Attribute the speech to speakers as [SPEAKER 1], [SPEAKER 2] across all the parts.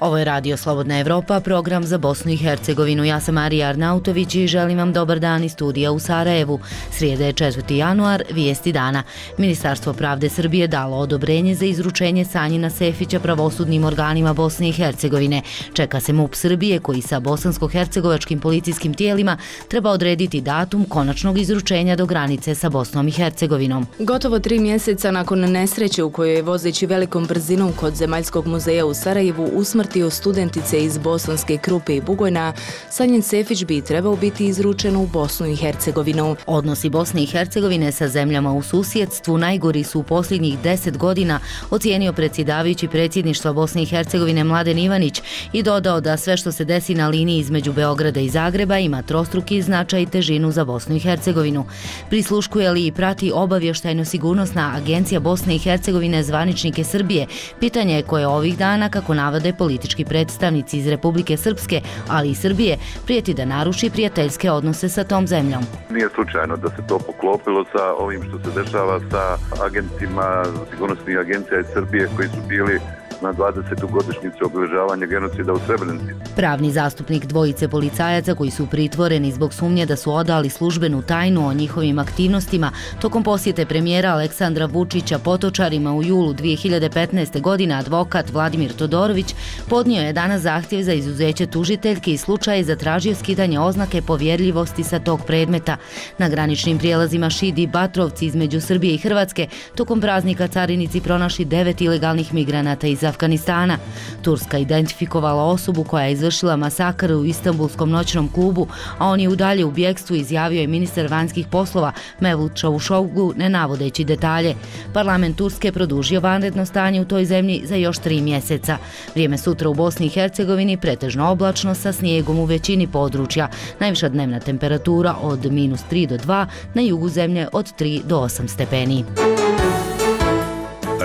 [SPEAKER 1] Ovo je Radio Slobodna Evropa, program za Bosnu i Hercegovinu. Ja sam Marija Arnautović i želim vam dobar dan iz studija u Sarajevu. Srijeda je 4. januar, vijesti dana. Ministarstvo pravde Srbije dalo odobrenje za izručenje Sanjina Sefića pravosudnim organima Bosne i Hercegovine. Čeka se MUP Srbije koji sa bosansko-hercegovačkim policijskim tijelima treba odrediti datum konačnog izručenja do granice sa Bosnom i Hercegovinom.
[SPEAKER 2] Gotovo 3 mjeseca nakon nesreće u kojoj je vozeći velikom brzinom kod Zemaljskog muzeja u Sarajevu usmrtio studentice iz Bosanske Krupe i Bugojna, Sanjin Sefić bi trebao biti izručen u Bosnu i Hercegovinu.
[SPEAKER 1] Odnosi Bosne i Hercegovine sa zemljama u susjedstvu najgori su u posljednjih 10 godina, ocijenio predsjedavajući predsjedništva Bosne i Hercegovine Mladen Ivanić i dodao da sve što se desi na liniji između Beograda i Zagreba ima trostruki značaj i težinu za Bosnu i Hercegovinu. Prisluškuje li i prati obavještajno-sigurnosna agencija Bosne i Hercegovine zvaničnike Srbije? Pitanje je koje ovih dana, kako navode politički predstavnici iz Republike Srpske, ali i Srbije, prijeti da naruši prijateljske odnose sa tom zemljom.
[SPEAKER 3] Nije slučajno da se to poklopilo sa ovim što se dešava sa agentima sigurnosnih agencija iz Srbije koji su bili na 20. godišnjicu obilježavanja genocida u Srebrenici.
[SPEAKER 1] Pravni zastupnik dvojice policajaca koji su pritvoreni zbog sumnje da su odali službenu tajnu o njihovim aktivnostima tokom posjete premijera Aleksandra Vučića Potočarima u julu 2015. godine, advokat Vladimir Todorović podnio je danas zahtjev za izuzeće tužiteljke i slučaj je zatražio skidanje oznake povjerljivosti sa tog predmeta. Na graničnim prijelazima Šid i Batrovci između Srbije i Hrvatske tokom praznika carinici pronašli 9 ilegalnih migranata iz Afganistana. Turska identifikovala osobu koja je izvršila masakr u Istanbulskom noćnom klubu, a on je udalje u bjegstvu, izjavio je ministar vanjskih poslova Mevlut Čavuşoglu, ne navodeći detalje. Parlament Turske produžio vanredno stanje u toj zemlji za još 3 mjeseca. Vrijeme sutra u Bosni i Hercegovini pretežno oblačno sa snijegom u većini područja. Najviša dnevna temperatura od -3 do 2, na jugu zemlje od 3 do 8 stepeni.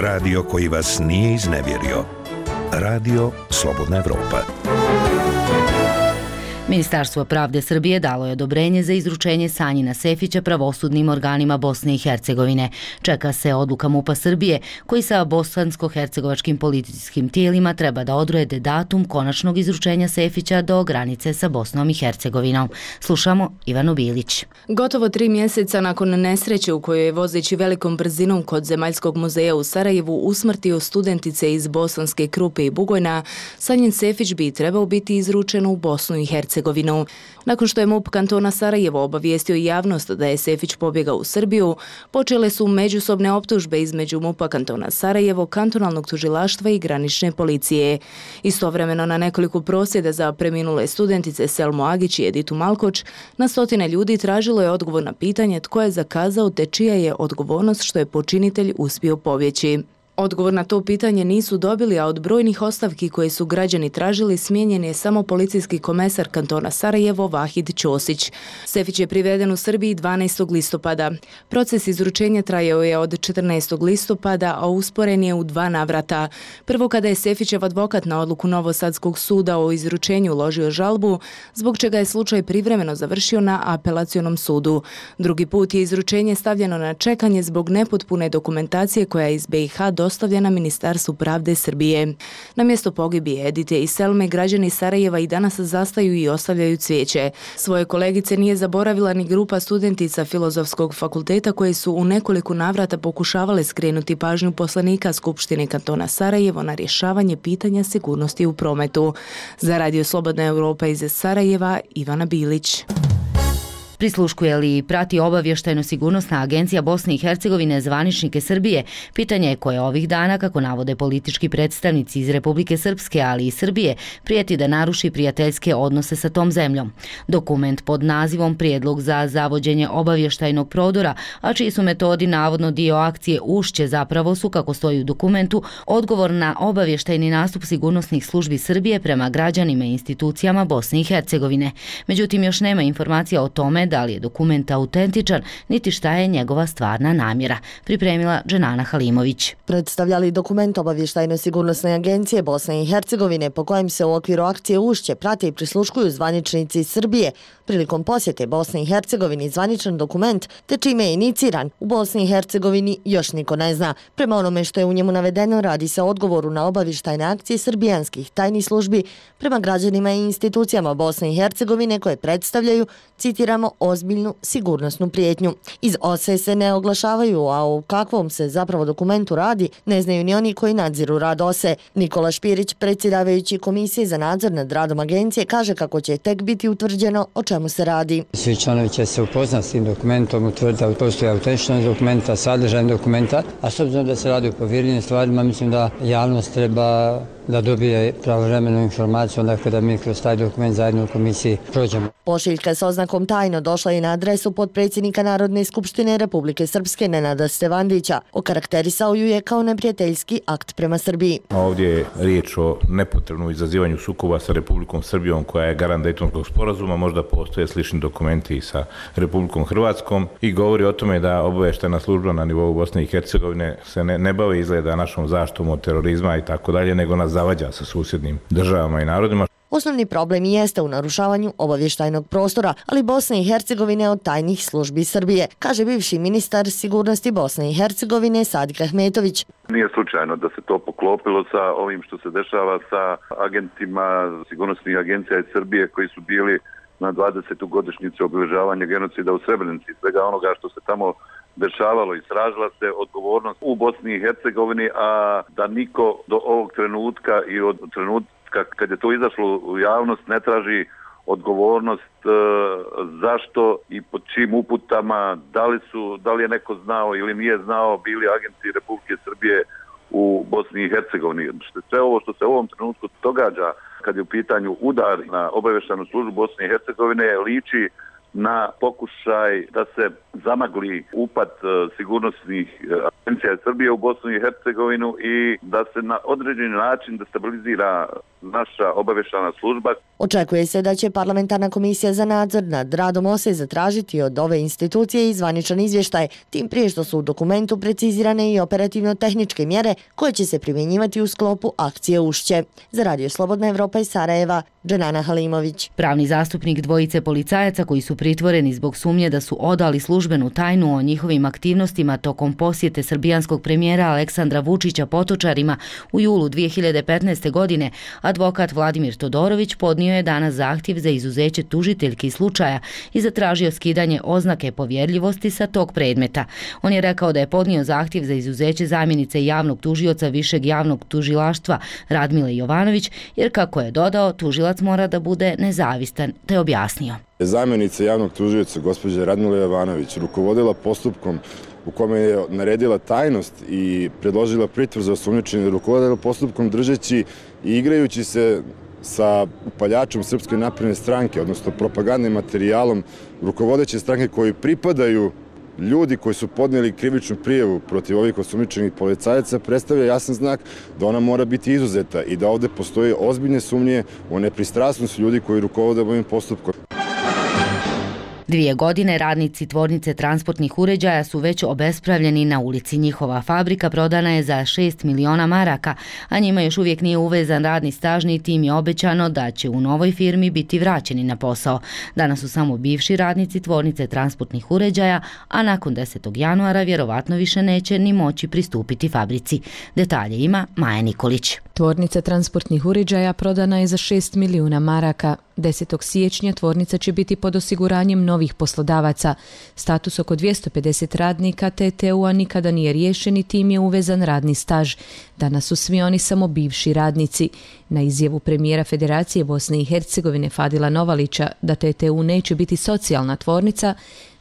[SPEAKER 4] Radio koji vas nije iznevjerio. Radio Slobodna Evropa.
[SPEAKER 1] Ministarstvo pravde Srbije dalo je odobrenje za izručenje Sanjina Sefića pravosudnim organima Bosne i Hercegovine. Čeka se odluka MUP-a Srbije koji sa bosansko-hercegovačkim policijskim tijelima treba da odrede datum konačnog izručenja Sefića do granice sa Bosnom i Hercegovinom. Slušamo Ivanu Bilić.
[SPEAKER 2] Gotovo 3 mjeseca nakon nesreće u kojoj je vozeći velikom brzinom kod Zemaljskog muzeja u Sarajevu usmrtio studentice iz Bosanske Krupe i Bugojna, Sanjin Sefić bi trebao biti izručen u Bosnu i Hercegovinu. Nakon što je MUP kantona Sarajevo obavijestio javnost da je Sefić pobjegao u Srbiju, počele su međusobne optužbe između MUP-a kantona Sarajevo, kantonalnog tužilaštva i granične policije. Istovremeno na nekoliko prosvjeda za preminule studentice Selmu Agić i Editu Malkoč, na stotine ljudi tražilo je odgovor na pitanje tko je zakazao te čija je odgovornost što je počinitelj uspio pobjeći. Odgovor na to pitanje nisu dobili, a od brojnih ostavki koje su građani tražili smijenjen je samo policijski komesar kantona Sarajevo Vahid Ćosić. Sefić je priveden u Srbiji 12. listopada. Proces izručenja trajao je od 14. listopada, a usporen je u 2 navrata. Prvo kada je Sefićev advokat na odluku Novosadskog suda o izručenju uložio žalbu, zbog čega je slučaj privremeno završio na apelacionom sudu. Drugi put je izručenje stavljeno na čekanje zbog nepotpune dokumentacije koja je iz BiH dostavljena Ministarstvu pravde Srbije. Na mjesto pogibije Edite i Selme građani Sarajeva i danas zastaju i ostavljaju cvijeće. Svoje kolegice nije zaboravila ni grupa studentica Filozofskog fakulteta koje su u nekoliko navrata pokušavale skrenuti pažnju poslanika Skupštine kantona Sarajevo na rješavanje pitanja sigurnosti u prometu. Za Radio Slobodna Evropa iz Sarajeva, Ivana Bilić.
[SPEAKER 1] Prisluškuje li i prati obavještajno-sigurnosna agencija Bosne i Hercegovine zvaničnike Srbije? Pitanje je koje ovih dana, kako navode politički predstavnici iz Republike Srpske, ali i Srbije, prijeti da naruši prijateljske odnose sa tom zemljom. Dokument pod nazivom Prijedlog za zavođenje obavještajnog prodora, a čiji su metodi navodno dio akcije Ušće, zapravo su, kako stoji u dokumentu, odgovor na obavještajni nastup sigurnosnih službi Srbije prema građanima i institucijama Bosne i Hercegovine. Međutim, još nema informacija o tome da li je dokument autentičan, niti šta je njegova stvarna namjera, pripremila Dženana Halimović.
[SPEAKER 5] Predstavljali dokument Obavještajno-sigurnosne agencije Bosne i Hercegovine po kojem se u okviru akcije Ušće prate i prisluškuju zvaničnici iz Srbije. Prilikom posjete Bosne i Hercegovini zvaničan dokument, te čime je iniciran, u Bosni i Hercegovini još niko ne zna. Prema onome što je u njemu navedeno, radi se o odgovoru na obavještajne akcije srbijanskih tajnih službi prema građanima i institucijama Bosne i Hercegovine koje predstavljaju, citiramo, ozbiljnu sigurnosnu prijetnju. Iz OSE se ne oglašavaju, a o kakvom se zapravo dokumentu radi ne znaju ni oni koji nadziru rad OSE. Nikola Špirić, predsjedavajući Komisije za nadzor nad radom agencije, kaže kako će tek biti utvrđeno o čemu se radi.
[SPEAKER 6] Svi članovi će se upoznati s tim dokumentom, utvrditi da postoji autentičnost dokumenta, sadržaj dokumenta, a s obzirom da se radi o povjerljivim stvarima, mislim da javnost treba da dobije pravovremenu informaciju onda kada mi kroz taj dokument zajedno u komisiji prođemo.
[SPEAKER 5] Pošiljka s oznakom tajno došla je na adresu potpredsjednika Narodne skupštine Republike Srpske Nenada Stevandića. Okarakterisao ju je kao neprijateljski akt prema Srbiji.
[SPEAKER 7] Ovdje je riječ o nepotrebnom izazivanju sukoba sa Republikom Srbijom koja je garant Dejtonskog sporazuma, možda postoje slični dokumenti i sa Republikom Hrvatskom i govori o tome da obavještajna služba na nivou Bosne i Hercegovine se ne bavi izgleda našom zaštitom od terorizma i tako dalje, nego nas zavađa sa susjednim državama i narodima.
[SPEAKER 5] Osnovni problem jeste u narušavanju obavještajnog prostora, ali Bosne i Hercegovine od tajnih službi Srbije, kaže bivši ministar sigurnosti Bosne i Hercegovine Sadik Ahmetović.
[SPEAKER 3] Nije slučajno da se to poklopilo sa ovim što se dešava sa agentima sigurnosnih agencija iz Srbije koji su bili na 20. godišnjicu obilježavanja genocida u Srebrenici. Svega onoga što se tamo dešavalo i tražila se odgovornost u Bosni i Hercegovini, a da niko do ovog trenutka i od trenutka kad je to izašlo u javnost ne traži odgovornost zašto i pod čim uputama, da li je neko znao ili nije znao, bili agenti Republike Srbije u Bosni i Hercegovini. Sve ovo što se u ovom trenutku događa kad je u pitanju udar na obavještajnu službu Bosne i Hercegovine liči na pokušaj da se zamagli upad sigurnosnih agencija Srbije u Bosnu i Hercegovinu i da se na određeni način destabilizira naša obavještajna služba.
[SPEAKER 5] Očekuje se da će Parlamentarna komisija za nadzor nad radom OSE zatražiti od ove institucije i zvaničan izvještaj, tim prije što su u dokumentu precizirane i operativno-tehničke mjere koje će se primjenjivati u sklopu akcije Ušće. Za Radio Slobodna Evropa iz Sarajeva, Dženana Halimović.
[SPEAKER 1] Pravni zastupnik dvojice policajaca koji su pritvoreni zbog sumnje da su odali službenu tajnu o njihovim aktivnostima tokom posjete srbijanskog premijera Aleksandra Vučića Potočarima u julu 2015. godine, advokat Vladimir Todorović podnio je danas zahtjev za izuzeće tužiteljki slučaja i zatražio skidanje oznake povjerljivosti sa tog predmeta. On je rekao da je podnio zahtjev za izuzeće zamjenice javnog tužioca Višeg javnog tužilaštva Radmile Jovanović, jer kako je dodao, tužilac mora da bude nezavistan, te objasnio.
[SPEAKER 8] Zamjenica javnog tužioca gospođa Radmila Jovanović rukovodila postupkom u kome je naredila tajnost i predložila pritvor za osumnjičenje, rukovodila postupkom držeći i igrajući se sa upaljačom Srpske napredne stranke, odnosno propagandnim materijalom rukovodeće stranke koji pripadaju ljudi koji su podnijeli krivičnu prijavu protiv ovih osumnjičenih policajaca, predstavlja jasan znak da ona mora biti izuzeta i da ovdje postoje ozbiljne sumnje o nepristrasnosti ljudi koji rukovode ovim postupkom.
[SPEAKER 1] 2 godine radnici tvornice transportnih uređaja su već obespravljeni na ulici. Njihova fabrika prodana je za 6 miliona maraka, a njima još uvijek nije uvezan radni staž, niti im je obećano da će u novoj firmi biti vraćeni na posao. Danas su samo bivši radnici tvornice transportnih uređaja, a nakon 10. januara vjerovatno više neće ni moći pristupiti fabrici. Detalje ima Maja Nikolić.
[SPEAKER 2] Tvornica transportnih uređaja prodana je za 6 milijuna maraka. 10. siječnja tvornica će biti pod osiguranjem novih poslodavaca. Status oko 250 radnika TTU-a nikada nije riješen i tim je uvezan radni staž. Danas su svi oni samo bivši radnici. Na izjavu premijera Federacije Bosne i Hercegovine Fadila Novalića da TTU neće biti socijalna tvornica,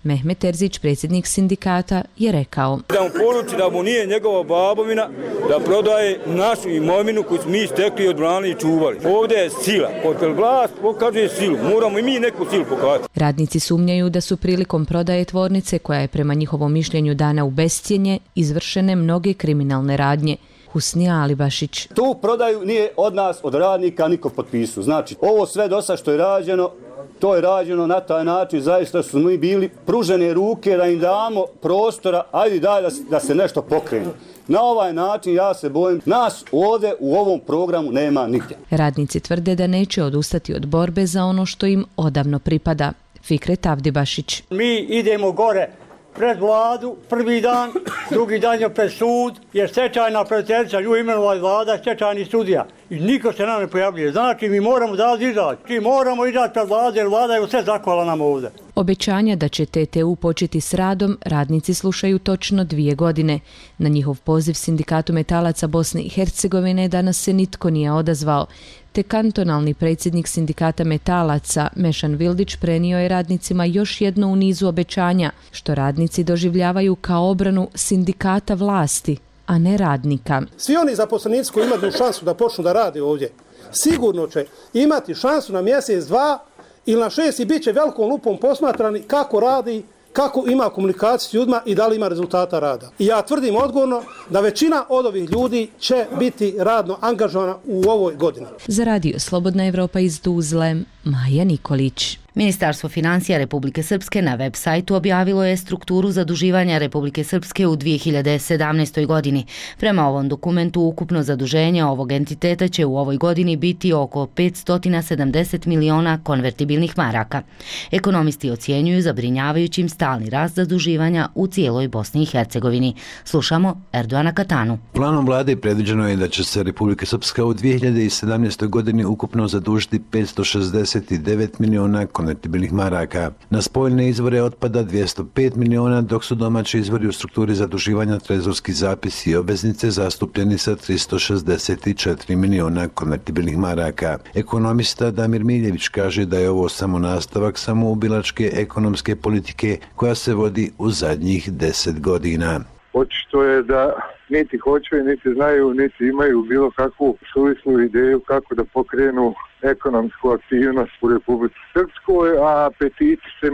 [SPEAKER 2] Mehmet Terzić, predsjednik sindikata, je rekao:
[SPEAKER 9] Da mu poruči da mu nije njegova babovina da prodaje našu imovinu koju smo mi stekli, odbranili i čuvali. Ovdje je sila. Od vlast pokazuje silu. Moramo i mi neku silu pokazati.
[SPEAKER 2] Radnici sumnjaju da su prilikom prodaje tvornice, koja je prema njihovom mišljenju dana u bescjenje, izvršene mnoge kriminalne radnje. Husnija Alibašić.
[SPEAKER 10] Tu prodaju nije od nas, od radnika, niko potpisu. Znači, ovo sve dosta što je rađeno, to je rađeno na taj način, zaista su mi bili pružene ruke da im damo prostora, ajde daj da se nešto pokrene. Na ovaj način, ja se bojim, nas ovdje u ovom programu nema nigdje.
[SPEAKER 2] Radnici tvrde da neće odustati od borbe za ono što im odavno pripada. Fikret Avdibašić.
[SPEAKER 11] Mi idemo gore pred vladu, prvi dan, drugi dan je pred sud, jer stečajna praviteljica nju imenova vlada, stečajni sudija. I niko se nam ne pojavljuje. Znači, mi moramo da izaći. Mi moramo izaći pred vladu, jer vlada je sve zakvala nam ovdje.
[SPEAKER 2] Obećanja da će TTU početi s radom radnici slušaju točno 2 godine. Na njihov poziv Sindikatu metalaca Bosne i Hercegovine danas se nitko nije odazvao, te kantonalni predsjednik Sindikata metalaca Mešan Vildić prenio je radnicima još jedno u nizu obećanja, što radnici doživljavaju kao obranu sindikata vlasti, a ne radnika.
[SPEAKER 12] Svi oni zaposlenici koji imaju šansu da počnu da rade ovdje, sigurno će imati šansu na mjesec, 2 ili na 6 i bit će velikom lupom posmatrani kako radi, kako ima komunikaciju s ljudima i da li ima rezultata rada. I ja tvrdim odgovorno da većina od ovih ljudi će biti radno angažovana u ovoj godini.
[SPEAKER 2] Za Radio Slobodna Evropa iz Tuzle, Maja Nikolić.
[SPEAKER 1] Ministarstvo financija Republike Srpske na web sajtu objavilo je strukturu zaduživanja Republike Srpske u 2017. godini. Prema ovom dokumentu ukupno zaduženje ovog entiteta će u ovoj godini biti oko 570 miliona konvertibilnih maraka. Ekonomisti ocjenjuju zabrinjavajućim stalni rast zaduživanja u cijeloj Bosni i Hercegovini. Slušamo Erdoana Katanu.
[SPEAKER 13] Planom vlade predviđeno je da će se Republika Srpska u 2017. godini ukupno zadužiti 569 miliona konvertibilnih maraka. Na spoljne izvore otpada 205 miliona, dok su domaći izvori u strukturi zaduživanja trezorski zapisi i obveznice zastupljeni sa 364 miliona konvertibilnih maraka. Ekonomista Damir Miljević kaže da je ovo samo nastavak samoubilačke ekonomske politike koja se vodi u zadnjih 10 godina.
[SPEAKER 14] Očito je da niti hoće, niti znaju, niti imaju bilo kakvu suvislu ideju kako da pokrenu ekonomsku aktivnost u Republici Srpskoj, a apetiti se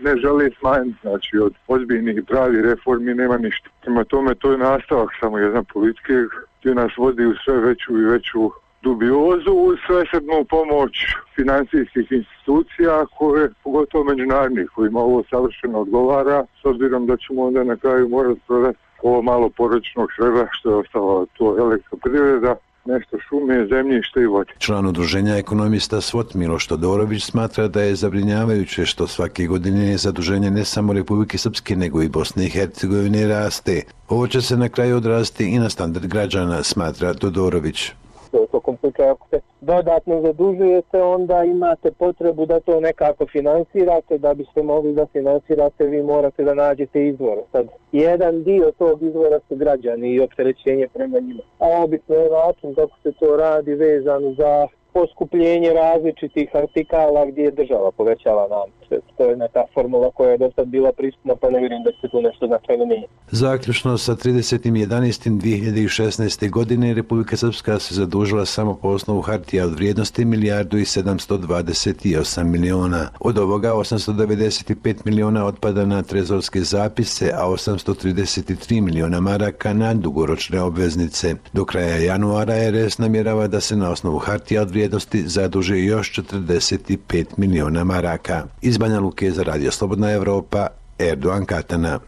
[SPEAKER 14] ne žele smanjiti. Znači, od ozbiljnih i pravih reformi nema ništa. Prema tome, to je nastavak samo jedne politike gdje nas vodi u sve veću i veću dubiozu uz svesrdnu pomoć financijskih institucija koje, pogotovo međunarodnih, kojima ovo savršeno odgovara, s obzirom da ćemo onda na kraju morati prodati ovo malo porodičnog svega što je ostalo, to elektroprivreda, nešto šume, zemljište i vode.
[SPEAKER 13] Član udruženja ekonomista SWOT Miloš Todorović smatra da je zabrinjavajuće što svake godine zaduženje ne samo Republike Srpske nego i Bosne i Hercegovine raste. Ovo će se na kraju odraziti i na standard građana, smatra Todorović.
[SPEAKER 15] U tokom slučaja ako se dodatno zadužujete, onda imate potrebu da to nekako finansirate. Da biste mogli da finansirate, vi morate da nađete izvore. Sad, jedan dio tog izvora su građani i opterećenje prema njima. A obično je način kako se to radi vezan za poskupljenje različitih artikala gdje je država povećala nam. To je neka formula koja je do sad bila prisutna, pa ne vjerujem da se tu nešto značajno nije.
[SPEAKER 13] Zaključno sa 30.11.2016. godine Republika Srpska se zadužila samo po osnovu hartija od vrijednosti 1.728 miliona. Od ovoga 895 miliona otpada na trezorske zapise, a 833 miliona maraka na dugoročne obveznice. Do kraja januara RS namjerava da se na osnovu hartija od vrijednosti zaduže još 45 miliona maraka. Iz Banja Luke za Radio Slobodna Evropa, Erdoan Katana.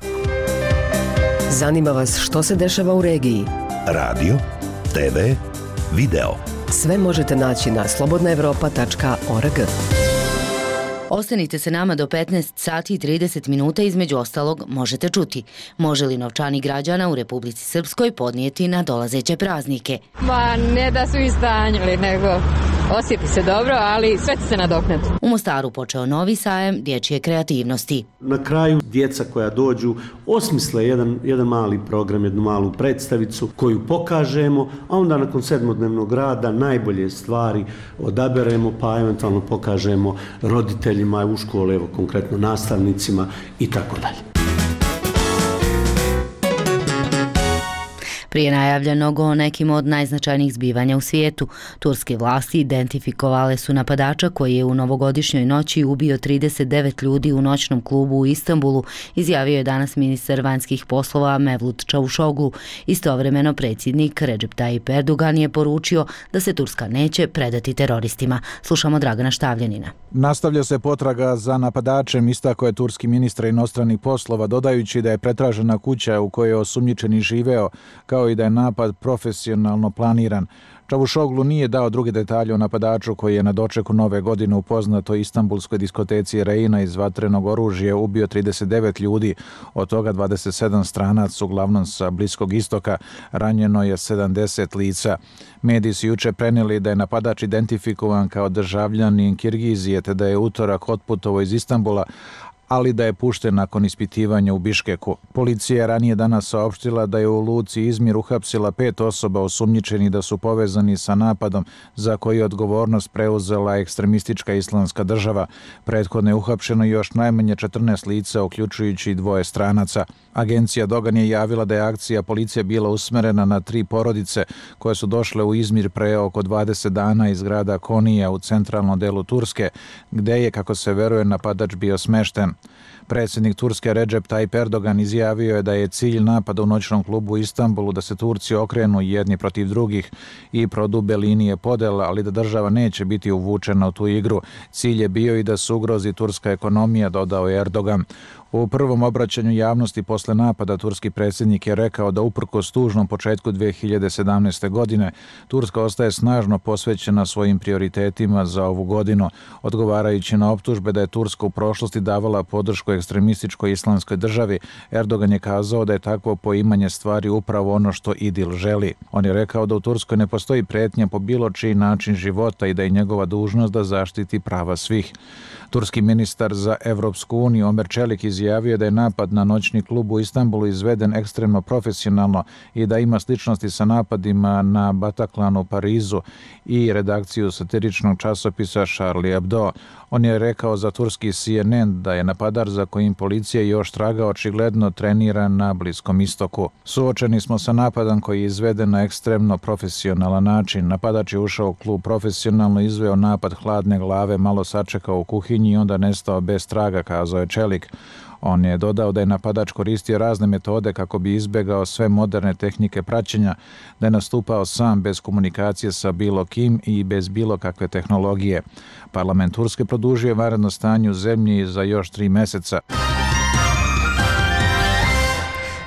[SPEAKER 16] Zanima vas što se dešava u regiji?
[SPEAKER 4] Radio, TV, video.
[SPEAKER 16] Sve možete naći na slobodnaevropa.org.
[SPEAKER 1] Ostanite se nama do 15 sati i 30 minuta, između ostalog možete čuti. Može li novčanik građana u Republici Srpskoj podnijeti na dolazeće praznike?
[SPEAKER 17] Ma ne da su istanjili, nego osjeti se dobro, ali sve će se nadoknati.
[SPEAKER 1] U Mostaru počeo novi sajem dječje kreativnosti.
[SPEAKER 18] Na kraju djeca koja dođu osmisle jedan mali program, jednu malu predstavicu koju pokažemo, a onda nakon 7-dnevnog rada najbolje stvari odaberemo pa eventualno pokažemo roditeljima u škole, evo konkretno nastavnicima i tako dalje.
[SPEAKER 1] Prije najavljenog o nekim od najznačajnijih zbivanja u svijetu, turske vlasti identifikovale su napadača koji je u novogodišnjoj noći ubio 39 ljudi u noćnom klubu u Istanbulu, izjavio je danas ministar vanjskih poslova Mevlut Čavuşoglu. Istovremeno predsjednik Recep Tayyip Erdogan je poručio da se Turska neće predati teroristima. Slušamo Dragana Štavljanina.
[SPEAKER 19] Nastavlja se potraga za napadačem, istakao je turski ministar inostranih poslova, dodajući da je pretražena kuća u kojoj je osumnjičeni živeo, kao i da je napad profesionalno planiran. Čavuşoglu nije dao druge detalje o napadaču koji je na dočeku nove godine u poznatoj istanbulskoj diskoteci Reina iz vatrenog oružja ubio 39 ljudi, od toga 27 stranaca, uglavnom sa Bliskog istoka, ranjeno je 70 lica. Mediji su juče prenijeli da je napadač identifikovan kao državljanin Kirgizije, te da je utorak otputovao iz Istanbula, ali da je pušten nakon ispitivanja u Biškeku. Policija je ranije danas saopštila da je u luci Izmir uhapsila 5 osoba osumnjičeni da su povezani sa napadom za koji je odgovornost preuzela ekstremistička islamska država. Prethodno je uhapšeno još najmanje 14 lica, uključujući 2 stranaca. Agencija Dogan je javila da je akcija policije bila usmerena na 3 porodice koje su došle u Izmir pre oko 20 dana iz grada Konija u centralnom delu Turske, gde je, kako se veruje, napadač bio smešten. Predsjednik Turske Recep Tayyip Erdogan izjavio je da je cilj napada u noćnom klubu u Istanbulu da se Turci okrenu jedni protiv drugih i prodube linije podela, ali da država neće biti uvučena u tu igru. Cilj je bio i da se ugrozi turska ekonomija, dodao je Erdogan. U prvom obraćanju javnosti posle napada turski predsjednik je rekao da uprkos tužnom početku 2017. godine Turska ostaje snažno posvećena svojim prioritetima za ovu godinu, odgovarajući na optužbe da je Turska u prošlosti davala podršku ekstremističkoj islamskoj državi. Erdogan je kazao da je takvo poimanje stvari upravo ono što Idil želi. On je rekao da u Turskoj ne postoji pretnja po bilo čiji način života i da je njegova dužnost da zaštiti prava svih. Turski ministar za Evropsku uniju Omer Čelik izjavio da je napad na noćni klub u Istanbulu izveden ekstremno profesionalno i da ima sličnosti sa napadima na Bataclan u Parizu i redakciju satiričnog časopisa Charlie Hebdo. On je rekao za turski CNN da je napadač za kojim policija još traga očigledno treniran na Bliskom istoku. Suočeni smo sa napadom koji je izveden na ekstremno profesionalan način. Napadač je ušao u klub profesionalno, izveo napad hladne glave, malo sačekao u kuhinji i onda nestao bez traga, kazao je Čelik. On je dodao da je napadač koristio razne metode kako bi izbegao sve moderne tehnike praćenja, da je nastupao sam bez komunikacije sa bilo kim i bez bilo kakve tehnologije. Parlament Turske produžio vanredno stanje u zemlji za još 3 meseca.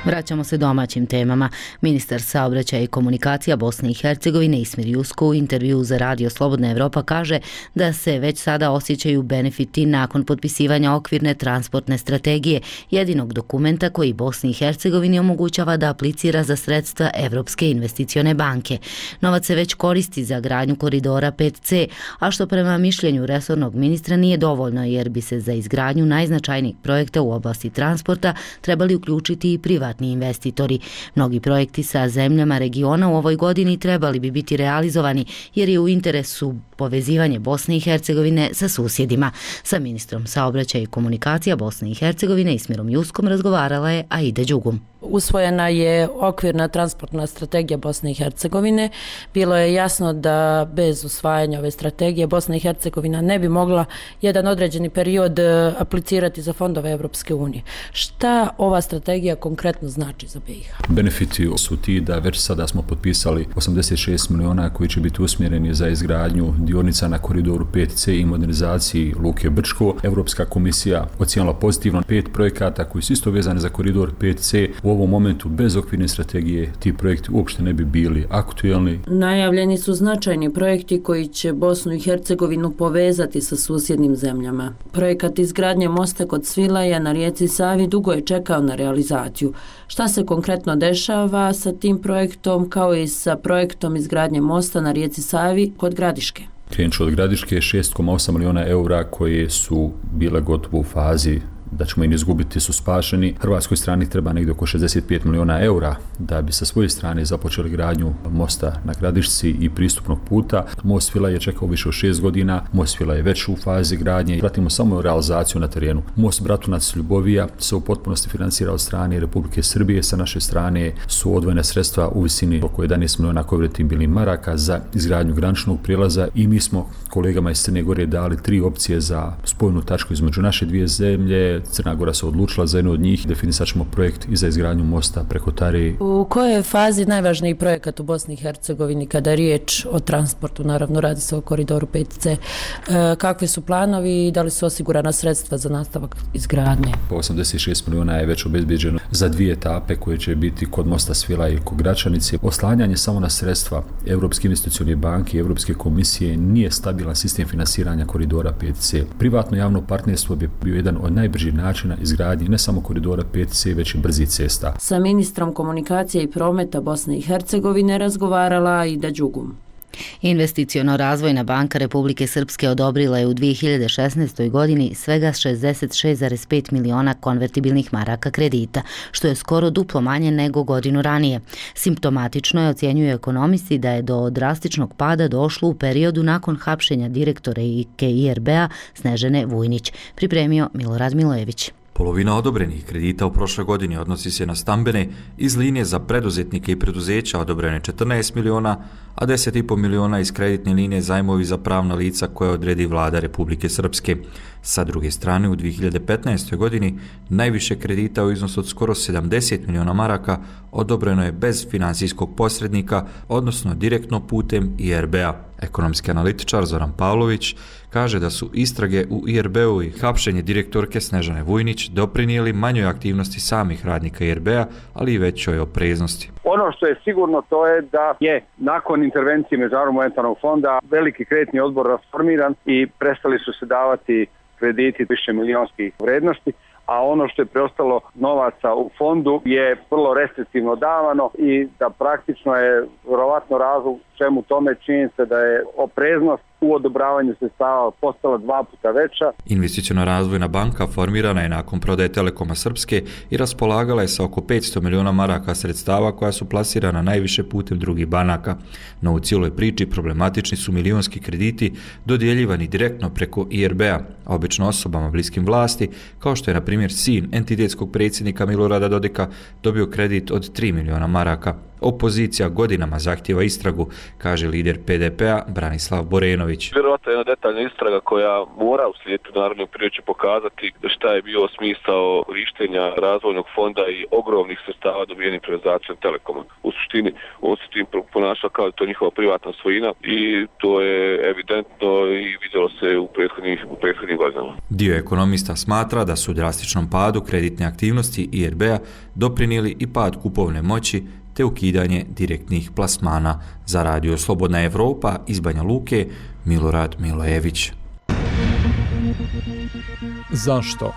[SPEAKER 1] Vraćamo se domaćim temama. Ministar saobraćaja i komunikacija Bosne i Hercegovine Ismir Jusko u intervjuu za Radio Slobodna Evropa kaže da se već sada osjećaju benefiti nakon potpisivanja okvirne transportne strategije, jedinog dokumenta koji Bosni i Hercegovini omogućava da aplicira za sredstva Evropske investicione banke. Novac se već koristi za gradnju koridora 5C, a što prema mišljenju resornog ministra nije dovoljno jer bi se za izgradnju najznačajnijih projekta u oblasti transporta trebali uključiti i privatni investitori. Mnogi projekti sa zemljama regiona u ovoj godini trebali bi biti realizovani jer je u interesu povezivanje Bosne i Hercegovine sa susjedima. Sa ministrom saobraćaja i komunikacija Bosne i Hercegovine Ismirom Juskom razgovarala je Aida Đugum.
[SPEAKER 20] Usvojena je okvirna transportna strategija Bosne i Hercegovine. Bilo je jasno da bez usvajanja ove strategije Bosna i Hercegovina ne bi mogla jedan određeni period aplicirati za fondove Evropske unije. Šta ova strategija konkretno znači za BiH?
[SPEAKER 21] Benefiti su ti da već sada smo potpisali 86 miliona koji će biti usmjereni za izgradnju dionica na koridoru 5C i modernizaciji Luke Brčko. Evropska komisija ocijenila pozitivno 5 projekata koji su isto vezani za koridor 5C. U ovom momentu bez okvirne strategije ti projekti uopšte ne bi bili aktuelni.
[SPEAKER 20] Najavljeni su značajni projekti koji će Bosnu i Hercegovinu povezati sa susjednim zemljama. Projekat izgradnje mosta kod Svilaja na rijeci Savi dugo je čekao na realizaciju. Šta se konkretno dešava sa tim projektom kao i sa projektom izgradnje mosta na rijeci Savi kod Gradiške?
[SPEAKER 21] Krenut ću od Gradiške, 6,8 miliona eura koje su bile gotovo u fazi da ćemo im izgubiti su spašeni. Hrvatskoj strani treba negdje oko 65 milijuna eura da bi sa svoje strane započeli gradnju mosta na Gradišci i pristupnog puta. Most Svilaja je čekao više od 6 godina, most Svilaja je već u fazi gradnje i pratimo samo realizaciju na terenu. Most Bratunac-Ljubovija se u potpunosti financira od strane Republike Srbije, sa naše strane su odvojena sredstva u visini oko 11 milijuna konvertibilnih maraka za izgradnju graničnog prijelaza i mi smo kolegama iz Crne Gore dali 3 opcije za spojnu tačku između naše dvije zemlje. Crna Gora se odlučila za jednu od njih, definisat ćemo projekt i za izgradnju mosta preko Tare.
[SPEAKER 20] U kojoj je fazi najvažniji projekat u Bosni i Hercegovini kada je riječ o transportu? Naravno, radi se o koridoru 5C. Kakvi su planovi i da li su osigurana sredstva za nastavak izgradnje?
[SPEAKER 21] 86 milijuna je već obezbeđeno za 2 etape koje će biti kod mosta Svilaja i kod Gračanice. Oslanjanje samo na sredstva Europske investicione banke i Europske komisije nije stabilan sistem finansiranja koridora 5C. Privatno javno partnerstvo bi bio jedan od najbržih načina izgradnje ne samo koridora 5C, već i brzih cesta.
[SPEAKER 20] Sa ministrom komunikacije i prometa Bosne i Hercegovine razgovarala Aida Đugum.
[SPEAKER 1] Investiciono-razvojna banka Republike Srpske odobrila je u 2016. godini svega 66,5 miliona konvertibilnih maraka kredita, što je skoro duplo manje nego godinu ranije. Simptomatično je, ocjenjuju ekonomisti, da je do drastičnog pada došlo u periodu nakon hapšenja direktora IRB-a Snežane Vujnić, pripremio Milorad Milojević.
[SPEAKER 6] Polovina odobrenih kredita u prošloj godini odnosi se na stambene, iz linije za preduzetnike i preduzeća odobrene 14 miliona, a 10,5 miliona iz kreditne linije zajmovi za pravna lica koje odredi vlada Republike Srpske. Sa druge strane, u 2015. godini najviše kredita u iznosu od skoro 70 miliona maraka odobreno je bez finansijskog posrednika, odnosno direktno putem IRB-a. Ekonomski analitičar Zoran Pavlović kaže da su istrage u IRB-u i hapšenje direktorke Snežane Vujnić doprinijeli manjoj aktivnosti samih radnika IRB-a, ali i većoj opreznosti.
[SPEAKER 22] Ono što je sigurno to je da je nakon intervencije Međunarodnog monetarnog fonda veliki kreditni odbor rasformiran i prestali su se davati krediti više milionskih vrednosti, a ono što je preostalo novaca u fondu je vrlo restriktivno davano i da praktično je vjerovatno razlog čemu tome čini se da je opreznost u odobravanju sredstava postala 2 puta veća.
[SPEAKER 6] Investiciono-razvojna banka formirana je nakon prodaje Telekoma Srpske i raspolagala je sa oko 500 miliona maraka sredstava koja su plasirana najviše putem drugih banaka. No u cijeloj priči problematični su milionski krediti dodjeljivani direktno preko IRB-a, a obično osobama bliskim vlasti, kao što je na primjer sin entitetskog predsjednika Milorada Dodika dobio kredit od 3 miliona maraka. Opozicija godinama zahtjeva istragu, kaže lider PDP-a Branislav Borenović.
[SPEAKER 23] Vjerovatno je jedna detaljna istraga koja mora uslijediti u narednom periodu će pokazati šta je bio smisao korištenja razvojnog fonda i ogromnih sredstava dobijenih privatizacijom Telekoma. U suštini on se tim ponašao kao da to je njihova privatna svojina i to je evidentno i vidjelo se u prethodnih godinama.
[SPEAKER 6] Dio ekonomista smatra da su u drastičnom padu kreditne aktivnosti IRB-a doprinijeli i pad kupovne moći te ukidanje direktnih plasmana. Za Radio Slobodna Evropa iz Banja Luke, Milorad Milojević.
[SPEAKER 24] Zašto?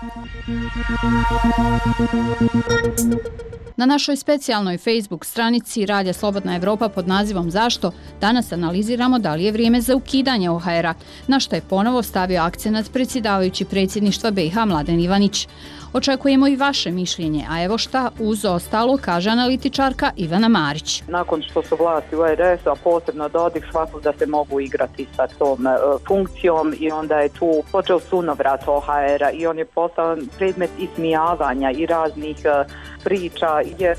[SPEAKER 24] Na našoj specijalnoj Facebook stranici Radija Slobodna Evropa pod nazivom Zašto danas analiziramo da li je vrijeme za ukidanje OHR-a, na što je ponovo stavio akcenat predsjedavajući predsjedništva BiH Mladen Ivanić. Očekujemo i vaše mišljenje, a evo šta uz ostalo kaže analitičarka Ivana Marić.
[SPEAKER 25] Nakon što su vlasti u RS-u, a posebno Dodik, shvatili da se mogu igrati sa tom funkcijom i onda je tu počeo sunovrat OHR-a i on je postao predmet ismijavanja i raznih priča, jer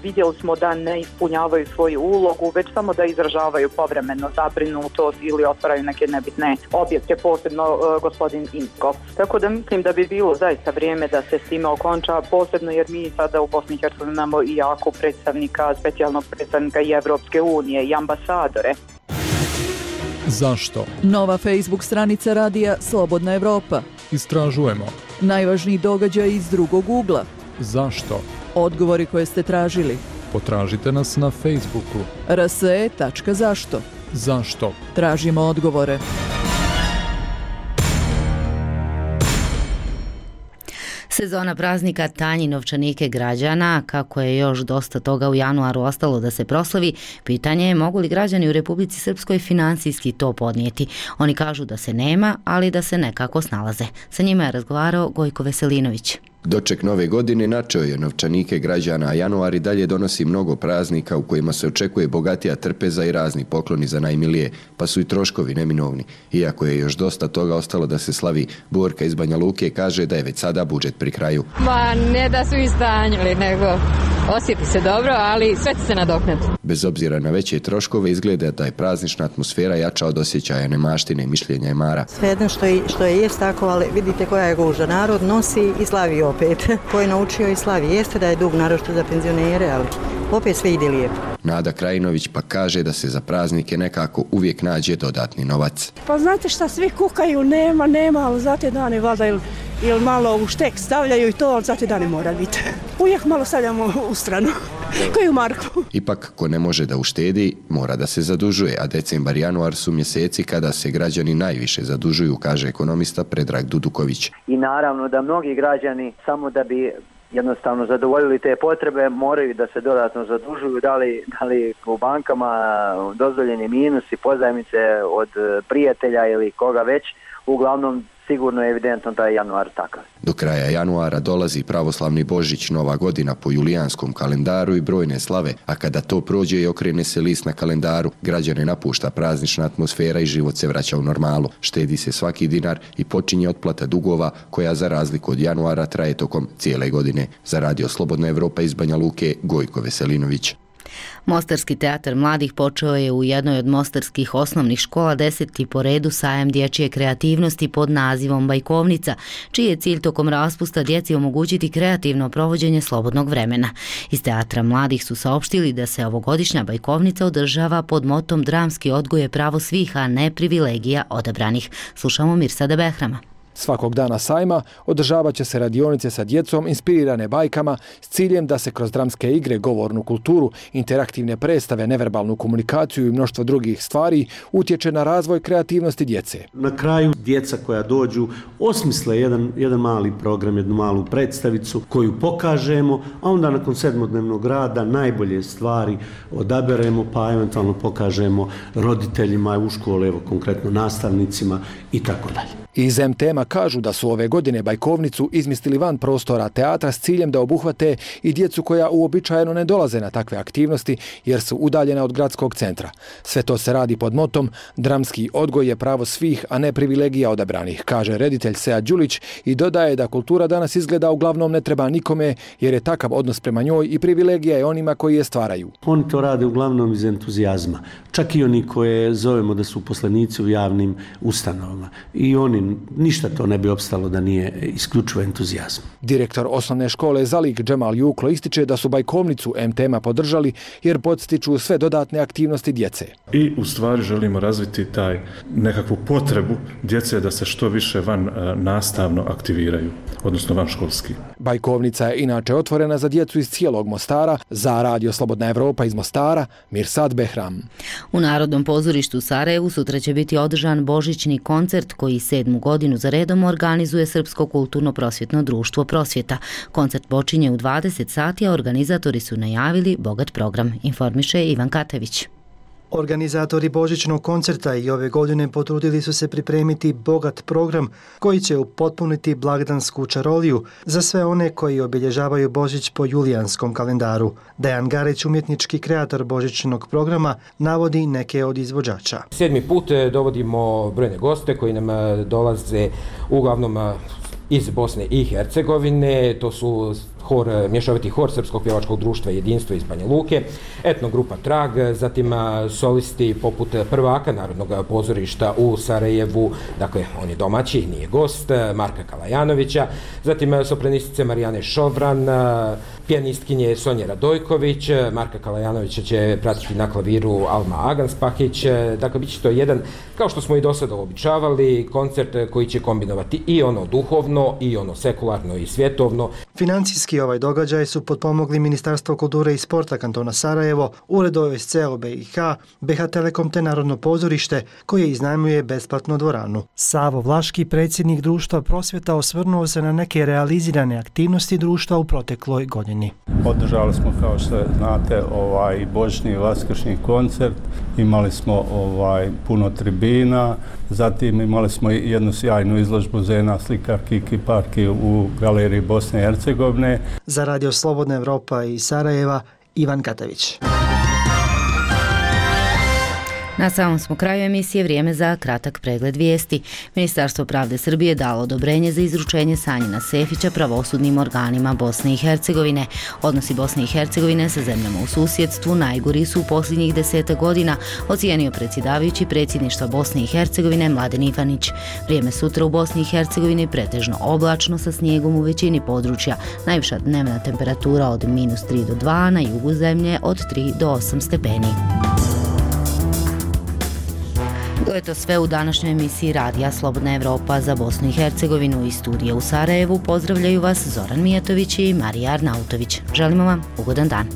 [SPEAKER 25] vidjeli smo da ne ispunjavaju svoju ulogu, već samo da izražavaju povremeno zabrinutost ili otvaraju neke nebitne objekte, posebno gospodin Inkov. Tako da mislim da bi bilo zaista vrijeme da se s time okonča, posebno jer mi sada u Bosni i Hercegovini imamo i jako predstavnika, specijalnog predstavnika i Evropske unije i ambasadore.
[SPEAKER 24] Zašto?
[SPEAKER 26] Nova Facebook stranica Radija Slobodna Evropa.
[SPEAKER 24] Istražujemo.
[SPEAKER 26] Najvažniji događaj iz drugog ugla.
[SPEAKER 24] Zašto?
[SPEAKER 26] Odgovori koje ste tražili.
[SPEAKER 24] Potražite nas na Facebooku.
[SPEAKER 26] rse.zašto.
[SPEAKER 24] Zašto?
[SPEAKER 26] Tražimo odgovore.
[SPEAKER 1] Sezona praznika tanji novčanike građana, kako je još dosta toga u januaru ostalo da se proslavi, pitanje je mogu li građani u Republici Srpskoj finansijski to podnijeti. Oni kažu da se nema, ali da se nekako snalaze. Sa njima je razgovarao Gojko Veselinović.
[SPEAKER 3] Doček nove godine načeo je novčanike građana, a januar i dalje donosi mnogo praznika u kojima se očekuje bogatija trpeza i razni pokloni za najmilije, pa su i troškovi neminovni. Iako je još dosta toga ostalo da se slavi, Borka iz Banja Luke kaže da je već sada budžet pri kraju.
[SPEAKER 17] Ma ne da su istanjili, nego osjeti se dobro, ali sve će se nadoknati.
[SPEAKER 3] Bez obzira na veće troškove, izgleda da je praznična atmosfera jača od osjećaja nemaštine i mišljenja emara.
[SPEAKER 5] Svejedno što je jest tako, ali vidite koja je guža. Narod nosi i slavi opet. Ko je naučio i slavi. Jeste da je dug naročito za penzionere, ali opet sve ide lijepo.
[SPEAKER 3] Nada Krajinović pa kaže da se za praznike nekako uvijek nađe dodatni novac.
[SPEAKER 7] Pa znate šta, svi kukaju, nema, ali za te dane valjda ili malo u štek stavljaju i to, ali za te dane mora biti. Uvijek malo stavljamo u stranu, koju marku.
[SPEAKER 3] Ipak, ko ne može da uštedi, mora da se zadužuje, a decembar i januar su mjeseci kada se građani najviše zadužuju, kaže ekonomista Predrag Duduković.
[SPEAKER 8] I naravno da mnogi građani samo da bi jednostavno zadovoljili te potrebe moraju da se dodatno zadužuju, da li u bankama dozvoljeni minusi, pozajmice od prijatelja ili koga već, uglavnom sigurno je evidentno da je januar takav.
[SPEAKER 3] Do kraja januara dolazi pravoslavni Božić, Nova godina po julijanskom kalendaru i brojne slave, a kada to prođe i okrene se list na kalendaru, građane napušta praznična atmosfera i život se vraća u normalu. Štedi se svaki dinar i počinje otplata dugova koja za razliku od januara traje tokom cijele godine. Za Radio Slobodna Evropa iz Banja Luke, Gojko Veselinović.
[SPEAKER 1] Mostarski teatar mladih počeo je u jednoj od mostarskih osnovnih škola 10. po redu sajam dječje kreativnosti pod nazivom Bajkovnica, čiji je cilj tokom raspusta djeci omogućiti kreativno provođenje slobodnog vremena. Iz teatra mladih su saopštili da se ovogodišnja Bajkovnica održava pod motom dramski odgoj je pravo svih, a ne privilegija odabranih. Slušamo Mirsada Behrama.
[SPEAKER 9] Svakog dana sajma održavat će se radionice sa djecom inspirirane bajkama s ciljem da se kroz dramske igre, govornu kulturu, interaktivne predstave, neverbalnu komunikaciju i mnoštvo drugih stvari utječe na razvoj kreativnosti djece.
[SPEAKER 18] Na kraju djeca koja dođu osmisle jedan mali program, jednu malu predstavicu koju pokažemo, a onda nakon 7-dnevnog rada najbolje stvari odaberemo pa eventualno pokažemo roditeljima u škole, evo konkretno nastavnicima i tako dalje.
[SPEAKER 9] Iz MTM-a kažu da su ove godine Bajkovnicu izmislili van prostora teatra s ciljem da obuhvate i djecu koja uobičajeno ne dolaze na takve aktivnosti jer su udaljena od gradskog centra. Sve to se radi pod motom dramski odgoj je pravo svih, a ne privilegija odabranih, kaže reditelj Sead Đulić i dodaje da kultura danas izgleda uglavnom ne treba nikome jer je takav odnos prema njoj i privilegija je onima koji je stvaraju.
[SPEAKER 18] Oni to rade uglavnom iz entuzijazma. Čak i oni koje zovemo da su uposlenici u javnim ustanovama. I oni ništa to ne bi opstalo da nije isključivo entuzijazm.
[SPEAKER 9] Direktor osnovne škole Zalik Džemal Juklo ističe da su Bajkovnicu MTM-a podržali jer podstiču sve dodatne aktivnosti djece.
[SPEAKER 10] I u stvari želimo razviti taj nekakvu potrebu djece da se što više van nastavno aktiviraju, odnosno van školski.
[SPEAKER 9] Bajkovnica je inače otvorena za djecu iz cijelog Mostara. Za Radio Slobodna Evropa iz Mostara, Mirsad Behram.
[SPEAKER 1] U Narodnom pozorištu u Sarajevu sutra će biti održan božićni koncert koji 7. godinu za redom organizuje Srpsko kulturno-prosvjetno društvo Prosvjeta. Koncert počinje u 20 sati, a organizatori su najavili bogat program, informiše Ivan Katević.
[SPEAKER 27] Organizatori božićnog koncerta i ove godine potrudili su se pripremiti bogat program koji će upotpuniti blagdansku čaroliju za sve one koji obilježavaju Božić po julijanskom kalendaru. Dejan Garić, umjetnički kreator božićnog programa, navodi neke od izvođača.
[SPEAKER 28] 7. put dovodimo brojne goste koji nam dolaze uglavnom iz Bosne i Hercegovine, to su mješoviti hor Srpskog pjevačkog društva Jedinstvo iz Banja Luke, etnogrupa Trag, zatim solisti poput prvaka Narodnog pozorišta u Sarajevu, dakle on je domaći, nije gost, Marka Kalajanovića, zatim sopranistice Marijane Šovran, pijanistkinje Sonje Radojković, Marka Kalajanovića će pratiti na klaviru Alma Aganspahić, dakle bit će to jedan, kao što smo i do sada običavali, koncert koji će kombinovati i ono duhovno, i ono sekularno i svjetovno.
[SPEAKER 27] Financijski ovaj događaj su potpomogli Ministarstvo kulture i sporta kantona Sarajevo, Ured OSCE BiH, BiH Telekom te Narodno pozorište koje iznajmljuje besplatno dvoranu. Savo Vlaški, predsjednik društva Prosvjeta, osvrnuo se na neke realizirane aktivnosti društva u protekloj godini.
[SPEAKER 2] Održali smo, kao što znate, božićni i vaskršnji koncert, imali smo puno tribina, zatim imali smo jednu sjajnu izložbu Zena, slikarki i kiparki u galeriji Bosne i Hercegovine.
[SPEAKER 27] Za Radio Slobodna Evropa i Sarajeva, Ivan Katavić.
[SPEAKER 1] Na samom smo kraju emisije, vrijeme za kratak pregled vijesti. Ministarstvo pravde Srbije dalo odobrenje za izručenje Sanjina Sefića pravosudnim organima Bosne i Hercegovine. Odnosi Bosne i Hercegovine sa zemljama u susjedstvu najgori su u posljednjih 10 godina, ocijenio predsjedavajući predsjedništva Bosne i Hercegovine Mladen Ivanić. Vrijeme sutra u Bosni i Hercegovini pretežno oblačno sa snijegom u većini područja. Najviša dnevna temperatura od -3 do 2, na jugu zemlje od 3 do 8 stepeni. To je to sve u današnjoj emisiji Radija Slobodna Evropa za Bosnu i Hercegovinu. Iz studija u Sarajevu pozdravljaju vas Zoran Mijatović i Marija Arnautović. Želimo vam ugodan dan.